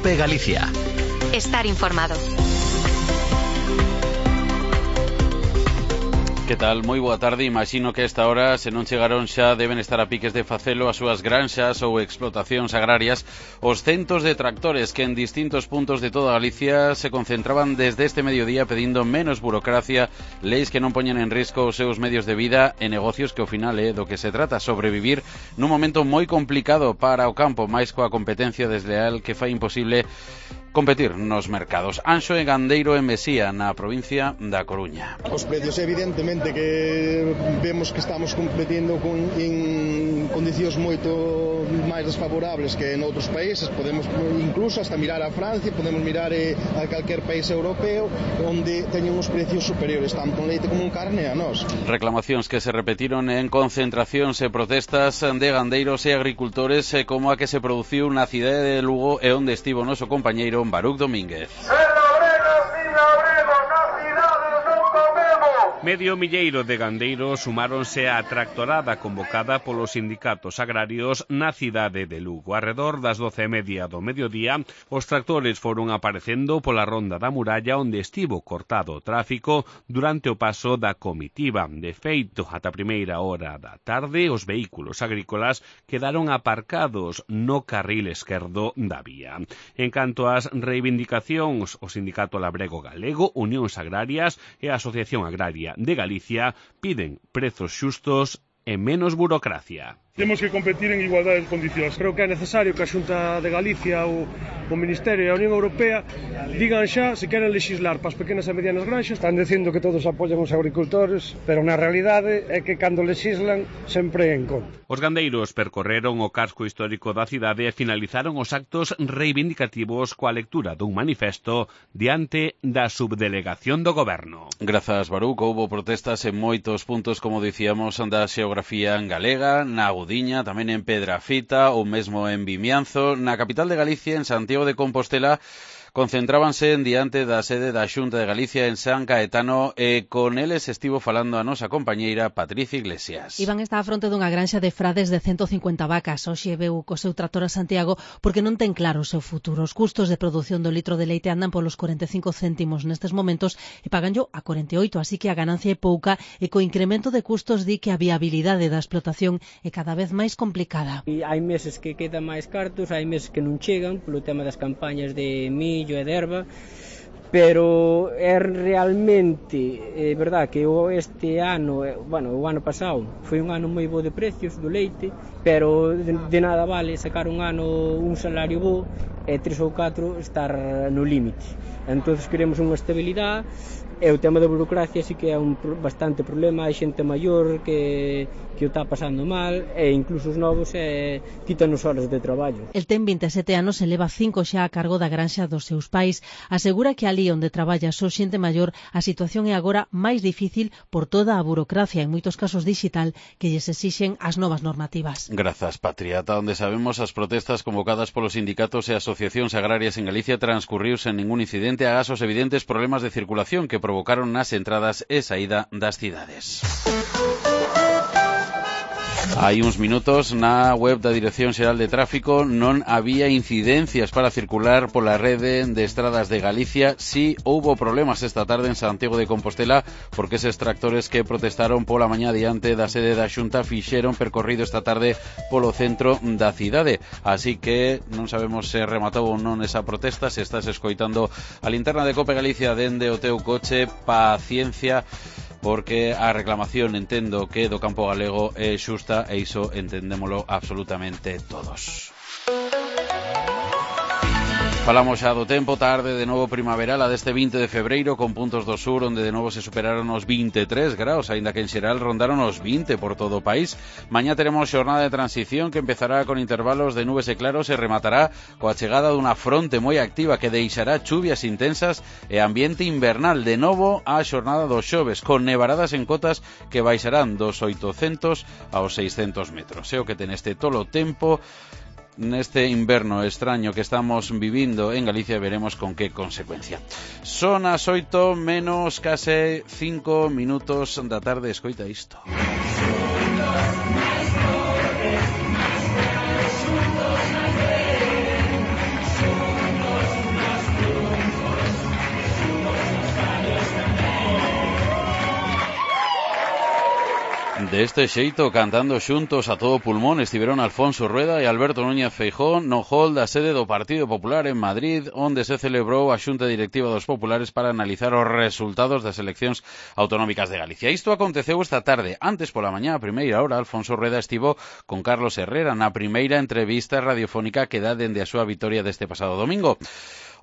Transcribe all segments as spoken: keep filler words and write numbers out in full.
COPE Galicia. Estar informado. Que tal? Moi boa tarde. Imagino que a esta hora, se non chegaron xa, deben estar a piques de facelo as súas granxas ou explotacións agrarias os centos de tractores que en distintos puntos de toda Galicia se concentraban desde este mediodía pedindo menos burocracia, leis que non poñen en risco os seus medios de vida e negocios que ao final é do que se trata, sobrevivir nun momento moi complicado para o campo, máis coa competencia desleal que fai imposible competir nos mercados. Anxo e Gandeiro en Mesía, na provincia da Coruña. Os precios, evidentemente, que vemos que estamos competindo con, en condicións moito máis desfavorables que en outros países. Podemos incluso hasta mirar a Francia, podemos mirar eh, a calquer país europeo onde teñen os precios superiores, tanto en leite como en carne a nós. Reclamacións que se repetiron en concentracións e protestas de gandeiros e agricultores, como a que se produciu na cidade de Lugo e onde estivo o noso compañeiro Baruc Domínguez. Medio milleiro de gandeiros sumáronse á tractorada convocada polos sindicatos agrarios na cidade de Lugo. Arredor das doce e media do mediodía, os tractores foron aparecendo pola ronda da muralla onde estivo cortado o tráfico durante o paso da comitiva. De feito, ata a primeira hora da tarde, os vehículos agrícolas quedaron aparcados no carril esquerdo da vía. En canto ás reivindicacións, o Sindicato Labrego Galego, Unións Agrarias e a Asociación Agraria de Galicia piden prezos xustos e menos burocracia. Temos que competir en igualdade de condicións. Creo que é necesario que a Xunta de Galicia ou o Ministerio e a Unión Europea digan xa se queren legislar para as pequenas e medianas granxas. Están dicindo que todos apoian os agricultores, pero na realidade é que cando legislan sempre en contra. Os gandeiros percorreron o casco histórico da cidade e finalizaron os actos reivindicativos coa lectura dun manifesto diante da subdelegación do goberno. Grazas, Baruc. Houbo protestas en moitos puntos, como dicíamos, da xeografía galega, na Gudiña, tamén en Pedrafita ou mesmo en Vimianzo. Na capital de Galicia, en Santiago de Compostela, concentrábanse en diante da sede da Xunta de Galicia en San Caetano e con eles estivo falando a nosa compañeira Patricia Iglesias. Iván está á fronte dunha granxa de frades de ciento cincuenta vacas. Hoxe veu co seu tractor a Santiago porque non ten claro o seu futuro. Os custos de produción do litro de leite andan polos cuarenta e cinco céntimos nestes momentos e paganllo a cuarenta e oito, así que a ganancia é pouca e co incremento de custos di que a viabilidade da explotación é cada vez máis complicada. E hai meses que quedan máis cartos, hai meses que non chegan polo tema das campañas de millo e de erva, pero é realmente é verdad que este ano, bueno, o ano pasado foi un ano moi bo de precios do leite, pero de, de nada vale sacar un ano un salario bo e tres ou catro estar no límite. Entonces queremos unha estabilidade. E o tema da burocracia sí que é un bastante problema. Hai xente maior que, que o está pasando mal e incluso os novos eh, quítanos horas de traballo. El ten vinte e sete anos e leva cinco xa a cargo da granxa dos seus pais. Asegura que ali onde traballa só xente maior a situación é agora máis difícil por toda a burocracia, en moitos casos digital, que lles exixen as novas normativas. Grazas, Patria. Ata onde sabemos, as protestas convocadas polos sindicatos e asociacións agrarias en Galicia transcurriu sen ningún incidente agás os evidentes problemas de circulación que provocaron nas entradas e saída das cidades. Hai uns minutos na web da Dirección Xeral de Tráfico non había incidencias para circular pola rede de estradas de Galicia. Si houbo problemas esta tarde en Santiago de Compostela porque eses tractores que protestaron pola mañá diante da sede da Xunta fixeron percorrido esta tarde polo centro da cidade. Así que non sabemos se rematou ou non esa protesta. Se estás escoitando a linterna de Cope Galicia dende o teu coche, paciencia, porque a reclamación entendo que do campo galego é xusta e iso entendémolo absolutamente todos. Falamos xa do tempo, tarde de novo primaveral a deste vinte de febreiro, con puntos do sur onde de novo se superaron os vinte e tres graus, aínda que en xeral rondaron os vinte por todo o país. Mañá teremos xornada de transición que empezará con intervalos de nubes e claros e rematará coa chegada dunha fronte moi activa que deixará chuvias intensas e ambiente invernal. De novo a xornada dos xoves, con nevaradas en cotas que baixarán dos oitocentos aos seiscentos metros. É o que ten este tolo tempo neste inverno extraño que estamos vivindo en Galicia. Veremos con que consecuencia. Son as oito menos case cinco minutos da tarde. Escoita isto. Deste xeito, cantando xuntos a todo pulmón, estiveron Alfonso Rueda e Alberto Núñez Feijóo no hall da sede do Partido Popular en Madrid, onde se celebrou a Xunta Directiva dos Populares para analizar os resultados das eleccións autonómicas de Galicia. Isto aconteceu esta tarde. Antes, pola mañá, a primeira hora, Alfonso Rueda estivo con Carlos Herrera na primeira entrevista radiofónica que dá dende a súa vitoria deste pasado domingo,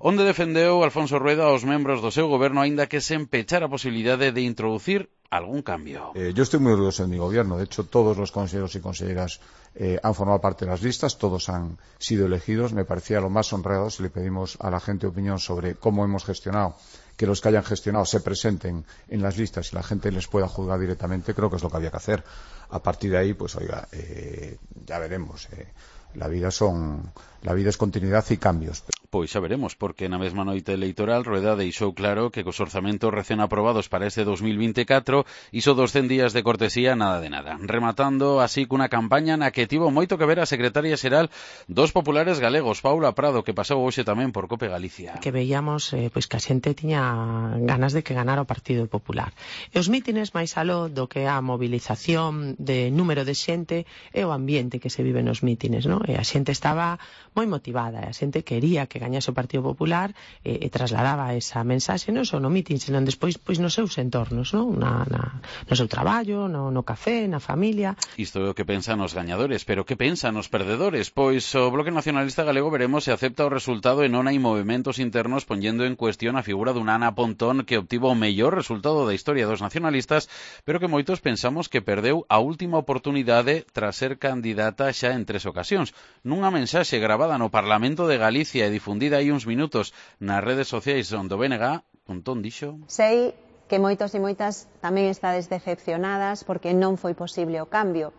onde defendeu Alfonso Rueda aos membros do seu goberno aínda que se empechara a posibilidade de introducir algún cambio. Eh, yo estoy muy orgulloso de mi gobierno. De hecho, todos los consejeros y consejeras eh, han formado parte de las listas, todos han sido elegidos. Me parecía lo más honrado si le pedimos a la gente opinión sobre cómo hemos gestionado, que los que hayan gestionado se presenten en las listas y la gente les pueda juzgar directamente. Creo que es lo que había que hacer. A partir de ahí, pues oiga, eh, ya veremos. Eh, la vida son, la vida es continuidad y cambios. Pois xa veremos, porque na mesma noite electoral Rueda deixou claro que cos orzamentos recén aprobados para este dos mil veinticuatro iso dos cen días de cortesía nada de nada, rematando así cunha campaña na que tivo moito que ver a secretaria xeral dos populares galegos, Paula Prado, que pasou hoxe tamén por Cope Galicia. Que veíamos eh, pois que a xente tiña ganas de que ganara o Partido Popular. E os mítines máis aló do que a mobilización de número de xente e o ambiente que se vive nos mítines, non? E a xente estaba moi motivada, e a xente quería que gañase o Partido Popular e, e trasladaba esa mensaxe non só no mitin, senón despois pois nos seus entornos, non? Na, na, no seu traballo, no, no café, na familia. Isto é o que pensan os gañadores, pero que pensan os perdedores? Pois o Bloque Nacionalista Galego veremos se acepta o resultado e non hai movimentos internos poñendo en cuestión a figura dunha Ana Pontón que obtivo o mellor resultado da historia dos nacionalistas, pero que moitos pensamos que perdeu a última oportunidade tras ser candidata xa en tres ocasións. Nunha mensaxe gravada no Parlamento de Galicia e difundida hai uns minutos nas redes sociais onde o B N G, Pontón dixo: sei que moitos e moitas tamén estades decepcionadas porque non foi posible o cambio.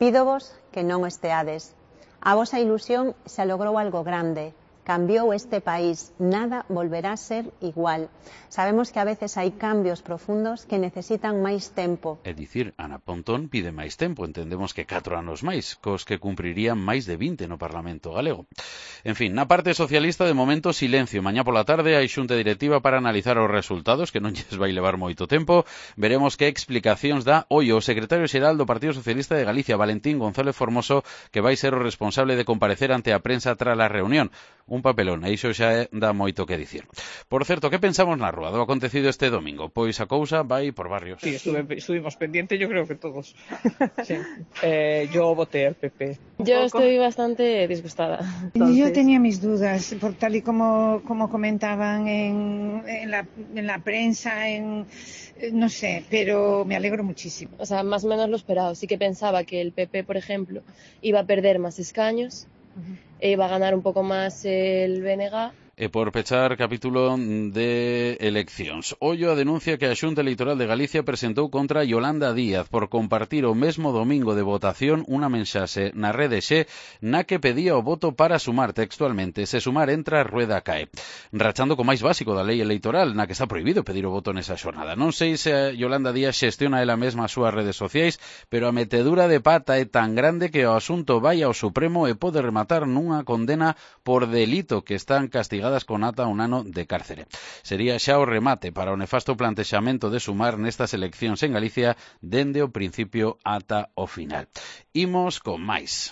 Pídovos que non esteades. A vosa ilusión se logrou algo grande. Cambiou este país, nada volverá a ser igual. Sabemos que a veces hai cambios profundos que necesitan máis tempo. É dicir, Ana Pontón pide máis tempo, entendemos que catro anos máis, cos que cumprirían máis de vinte no Parlamento galego. En fin, na parte socialista, de momento, silencio. Mañá pola tarde hai xunta directiva para analizar os resultados, que non lles vai levar moito tempo. Veremos que explicacións dá hoy o secretario xeral do Partido Socialista de Galicia, Valentín González Formoso, que vai ser o responsable de comparecer ante a prensa tras a reunión. Un papelón, e iso xa dá moito que dicir. Por certo, que pensamos na rúa do acontecido este domingo? Pois a cousa vai por barrios. Sí, estuve, estuvimos pendientes, yo creo que todos. Sí. Eh, yo voté al P P. Yo estoy bastante disgustada. Entonces... Yo tenía mis dudas, por tal y como, como comentaban en, en, la, en la prensa, en... no sé, pero me alegro muchísimo. O sea, más o menos lo esperado. Sí que pensaba que el P P, por ejemplo, iba a perder más escaños, uh-huh. e iba a ganar un pouco máis el B N G. E por pechar capítulo de eleccións. Ollo a denuncia que a Xunta Electoral de Galicia presentou contra Yolanda Díaz por compartir o mesmo domingo de votación unha mensaxe na rede Xe na que pedía o voto para sumar textualmente. Se sumar entra, Rueda cae. Rachando co máis básico da lei electoral, na que está prohibido pedir o voto nesa xornada. Non sei se a Yolanda Díaz xestiona ela mesma as súas redes sociais, pero a metedura de pata é tan grande que o asunto vai ao Supremo e pode rematar nunha condena por delito que están castigadas con ata un ano de cárcere. Sería xa o remate para o nefasto plantexamento de sumar nestas eleccións en Galicia dende o principio ata o final. Imos con máis.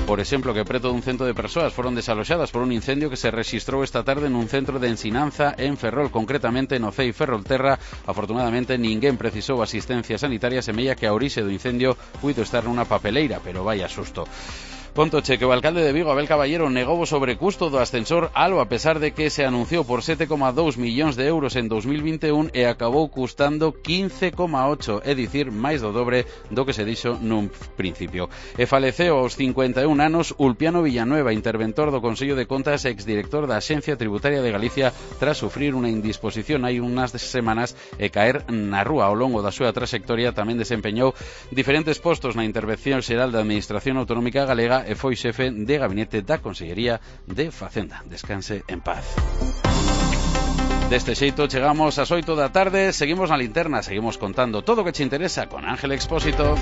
Por exemplo, que preto dun cento de persoas foron desaloxadas por un incendio que se rexistrou esta tarde nun centro de ensinanza en Ferrol, concretamente no C E I Ferrolterra. Afortunadamente, ninguén precisou asistencia sanitaria, semella que a orixe do incendio puido estar nunha papeleira, pero vai a susto. Ponto che que o alcalde de Vigo, Abel Caballero, negou o sobrecusto do ascensor Alo a pesar de que se anunciou por sete coma dous millóns de euros en dos mil vinte e un e acabou custando quince coma ocho, é dicir, máis do dobre do que se dixo nun principio. E faleceu aos cincuenta e un anos Ulpiano Villanueva, interventor do Consello de Contas e exdirector da Axencia Tributaria de Galicia, tras sufrir unha indisposición hai unhas semanas e caer na rúa. Ao longo da súa trayectoria tamén desempeñou diferentes postos na Intervención Xeral da Administración Autonómica Galega e foi xefe de gabinete da Consellería de Facenda. Descanse en paz. Deste xeito chegamos ás oito da tarde, seguimos na linterna, seguimos contando todo o que che interesa con Ángel Expósito.